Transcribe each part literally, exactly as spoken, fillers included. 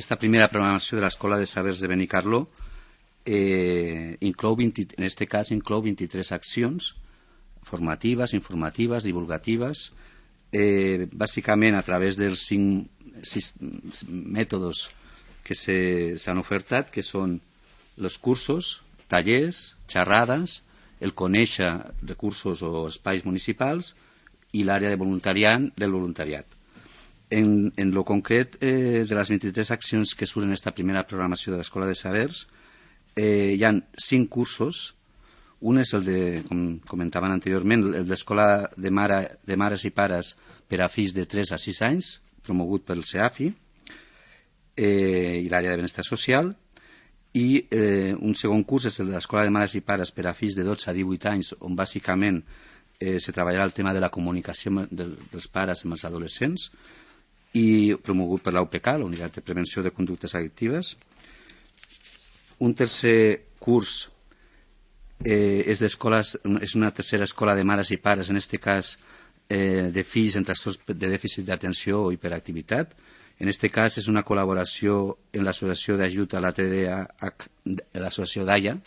esta primera programació de l'Escola de Sabers de Benicarló eh, inclou vint, en aquest cas inclou vint-i-tres accions formatives, informatives, divulgatives, eh, bàsicament a través dels cinc sis mètodes que s'han ofertat, que són els cursos, tallers, xerrades, el conèixer recursos o espais municipals i l'àrea de voluntariat del voluntariat. En, en lo concret eh, de les vint-i-tres accions que surten en aquesta primera programació de l'Escola de Sabers, eh, hi ha cinc cursos. Un és el de, com comentaven anteriorment, el d'Escola de, mare, de Mares i Pares per a fills de tres a sis anys, promogut pel CEAFI eh, i l'àrea de benestar social. I eh, un segon curs és el de l'Escola de Mares i Pares per a fills de dotze a divuit anys, on bàsicament eh, se treballarà el tema de la comunicació de, dels pares amb els adolescents, i promogut per l'U P C, la Unitat de Prevenció de Conductes Addictives. Un tercer curs eh, és, és una tercera escola de mares i pares, en aquest cas eh, de fills en trastorns de dèficit d'atenció o hiperactivitat. En aquest cas és una col·laboració en l'Associació d'Ajut a la T D A H, l'Associació d'A I A.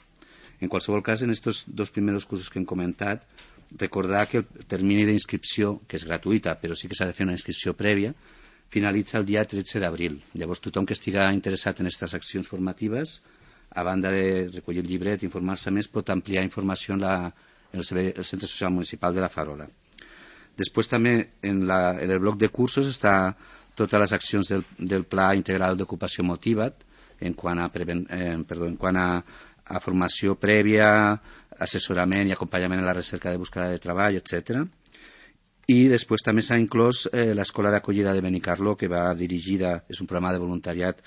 En qualsevol cas, en aquests dos primers cursos que hem comentat, recordar que el termini d'inscripció, que és gratuïta, però sí que s'ha de fer una inscripció prèvia, finalitza el dia tretze d'abril. Llavors, tothom que estigui interessat en aquestes accions formatives, a banda de recollir el llibret i informar-se més, pot ampliar informació en, la, en el, el Centre Social Municipal de la Farola. Després també en, la, en el bloc de cursos està totes les accions del, del Pla Integral d'Ocupació Motiva't, en quant a, preven, eh, perdó, en quant a, a formació prèvia, assessorament i acompanyament en la recerca de búsqueda de treball, etcètera. I després també s'ha inclòs eh, l'Escola d'Acollida de Benicarló, que va dirigida, és un programa de voluntariat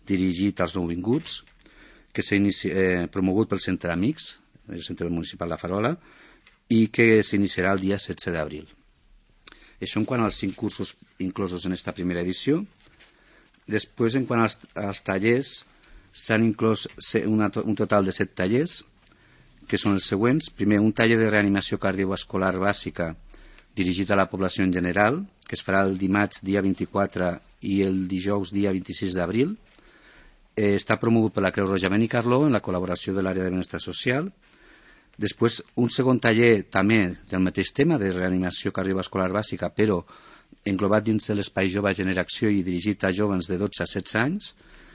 dirigit als nouvinguts, que s'ha eh, promogut pel Centre Amics, el Centre Municipal de la Farola, i que s'iniciarà el dia setze d'abril. Això en quant als cinc cursos inclosos en aquesta primera edició. Després, en quant als, als tallers, s'han inclòs una, un total de set tallers, que són els següents. Primer, un taller de reanimació cardiovascular bàsica dirigit a la població en general, que es farà el dimarts dia vint-i-quatre i el dijous dia vint-i-sis d'abril. Eh, està promogut per la Creu Roja Benicarló en la col·laboració de l'àrea de benestar social. Després, un segon taller també del mateix tema de reanimació cardiovascular bàsica, però englobat dins de l'espai Jove Generació i dirigit a joves de dotze a setze anys,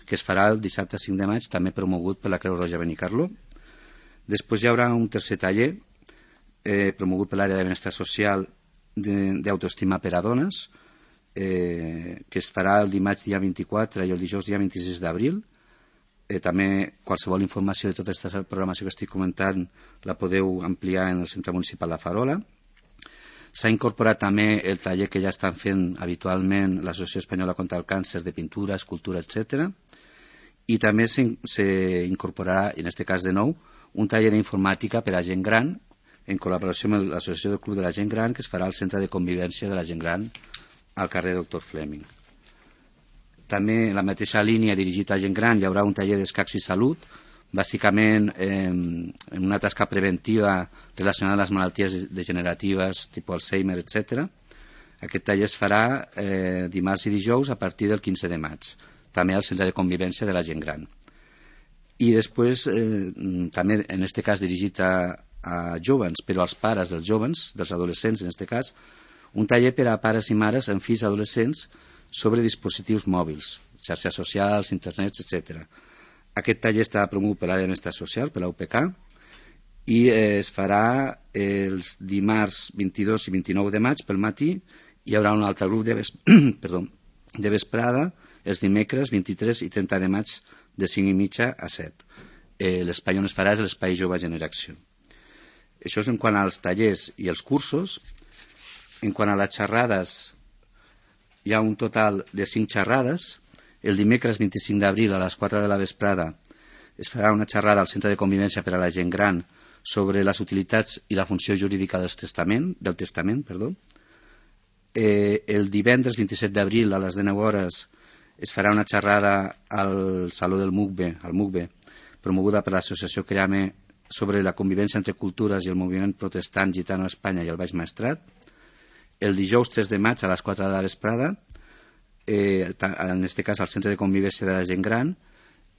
que es farà el dissabte cinc de maig, també promogut per la Creu Roja Benicarló. Després hi haurà un tercer taller eh, promogut per l'àrea de benestar social d'autoestima per a dones, eh, que es farà el dimarts dia vint-i-quatre i el dijous dia vint-i-sis d'abril. Eh, també qualsevol informació de tota aquesta programació que estic comentant la podeu ampliar en el Centre Municipal de Farola. S'ha incorporat també el taller que ja estan fent habitualment l'Associació Espanyola contra el Càncer de pintura, escultura, etcètera. I també s'incorporarà, en aquest cas de nou, un taller d'informàtica per a gent gran, en col·laboració amb l'Associació del Club de la Gent Gran, que es farà al Centre de Convivència de la Gent Gran al carrer Doctor Fleming. També en la mateixa línia dirigit a gent gran hi haurà un taller d'escacs i salut, bàsicament eh, en una tasca preventiva relacionada amb les malalties degeneratives, tipus Alzheimer, etcètera. Aquest taller es farà eh, dimarts i dijous a partir del quinze de maig, també al Centre de Convivència de la Gent Gran. I després, eh, també en aquest cas dirigit a, a jovens, però als pares dels jovens, dels adolescents en aquest cas, un taller per a pares i mares amb fills adolescents sobre dispositius mòbils, xarxes socials, internet, etcètera. Aquest taller està promogut per l'àrea de benestar social, per la U P C, i eh, es farà els dimarts vint-i-dos i vint-i-nou de maig pel matí. Hi haurà un altre grup de, ves... Perdó, de vesprada els dimecres vint-i-tres i trenta de maig de cinc i mitja a set. Eh, l'espai on es farà és l'espai Jove Generació. Això és en quant als tallers i els cursos. En quant a les xerrades, hi ha un total de cinc xerrades. El dimecres vint-i-cinc d'abril a les quatre de la vesprada es farà una xerrada al Centre de Convivència per a la Gent Gran sobre les utilitats i la funció jurídica del testament. Del testament perdó. Eh, el divendres vint-i-set d'abril a les dinou hores es farà una xerrada al Saló del MUCBE, al MUCBE, promoguda per l'associació Creame, sobre la convivència entre cultures i el moviment protestant gitano a Espanya i el Baix Maestrat. El dijous tres de maig a les quatre de la vesprada eh, en aquest cas al Centre de Convivència de la Gent Gran,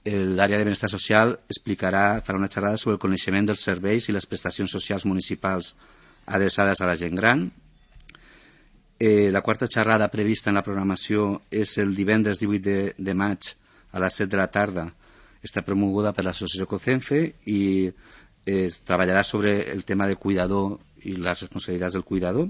l'àrea de benestar social explicarà, farà una xerrada sobre el coneixement dels serveis i les prestacions socials municipals adreçades a la gent gran. Eh, la quarta xerrada prevista en la programació és el divendres divuit de, de maig a les set de la tarda. Està promoguda per l'associació COCENFE i es treballarà sobre el tema del cuidador i les responsabilitats del cuidador.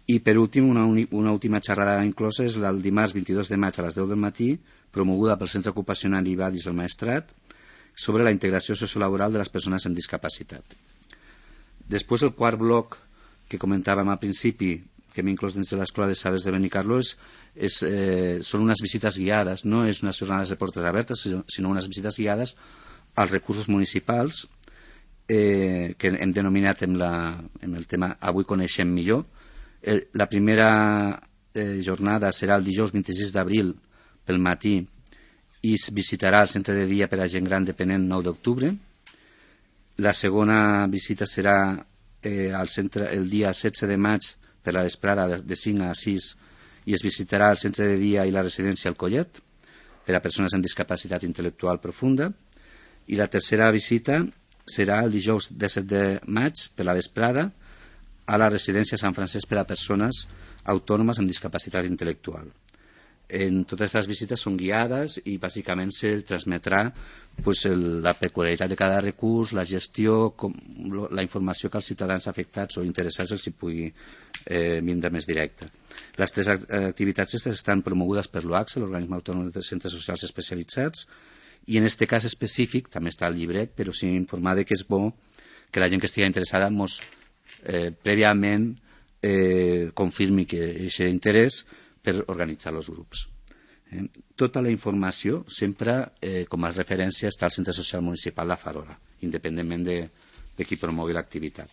I per últim, una, una última xerrada inclosa és el dimarts vint-i-dos de maig a les deu del matí, promoguda pel Centre Ocupacional Ibadis del Maestrat, sobre la integració sociolaboral de les persones amb discapacitat. Després, el quart bloc que comentàvem al principi, que hem inclòs dins de l'Escola de Sabers de Benicarló, és, és, eh, són unes visites guiades, no és unes jornades de portes obertes, sinó unes visites guiades als recursos municipals eh, que hem denominat en, la, en el tema Avui coneixem millor. El, la primera eh, jornada serà el dijous vint-i-sis d'abril pel matí i es visitarà el centre de dia per a gent gran dependent nou d'octubre. La segona visita serà eh, al centre el dia setze de maig per la vesprada de cinc a sis i es visitarà el centre de dia i la residència al Collet per a persones amb discapacitat intel·lectual profunda. I la tercera visita serà el dijous disset de maig per la vesprada a la residència Sant Francesc per a persones autònomes amb discapacitat intel·lectual. En totes aquestes visites són guiades i bàsicament se transmetrà pues, el, la peculiaritat de cada recurs, la gestió, com, lo, la informació que els ciutadans afectats o interessats els hi pugui eh, vindre més directa. Les tres activitats estan promogudes per l'O A C S E, l'Organisme Autònom de Centres Socials Especialitzats, i en aquest cas específic, també està al llibret, però sí informar que és bo que la gent que estigui interessada mos eh, prèviament eh, confirmi que aquest interès per organitzar els grups. Eh, tota la informació sempre eh, com a referència està al Centre Social Municipal La Farola, independentment de, de qui promogui l'activitat.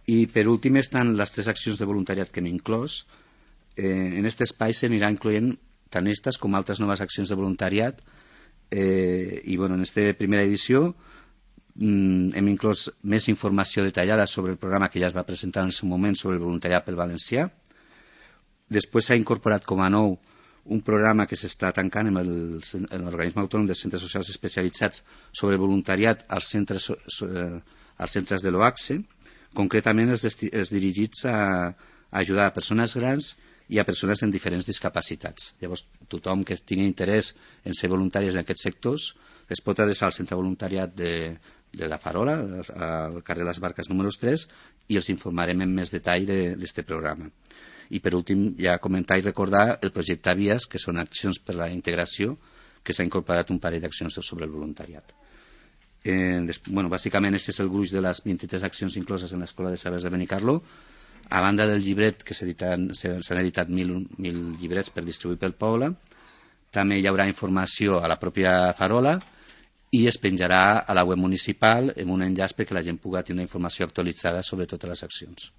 I per últim estan les tres accions de voluntariat que hem inclòs. Eh, en aquest espai s'anirà incloent tant aquestes com altres noves accions de voluntariat eh, i bueno, en aquesta primera edició hem inclòs més informació detallada sobre el programa que ja es va presentar en el seu moment sobre el voluntariat pel valencià. Després s'ha incorporat com a nou un programa que s'està tancant amb l'Organisme Autònom de Centres Socials Especialitzats sobre el voluntariat als centres, als centres de l'O A C S E, concretament els, els dirigits a, a ajudar a persones grans i a persones amb diferents discapacitats. Llavors, tothom que tingui interès en ser voluntaris en aquests sectors es pot adreçar al centre voluntariat de, de la Farola, al carrer Les Barques número tres, i els informarem en més detall d'aquest programa. I per últim, ja comentar i recordar el projecte Vies, que són accions per la integració, que s'ha incorporat un parell d'accions sobre el voluntariat. Eh, des, bueno, bàsicament, aquest és el gruix de les vint-i-tres accions incloses en l'Escola de Sabers de Benicarló. A banda del llibret, que s'han editat mil, mil llibrets per distribuir pel poble, també hi haurà informació a la pròpia Farola i es penjarà a la web municipal amb un enllaç perquè la gent pugui tenir informació actualitzada sobre totes les accions.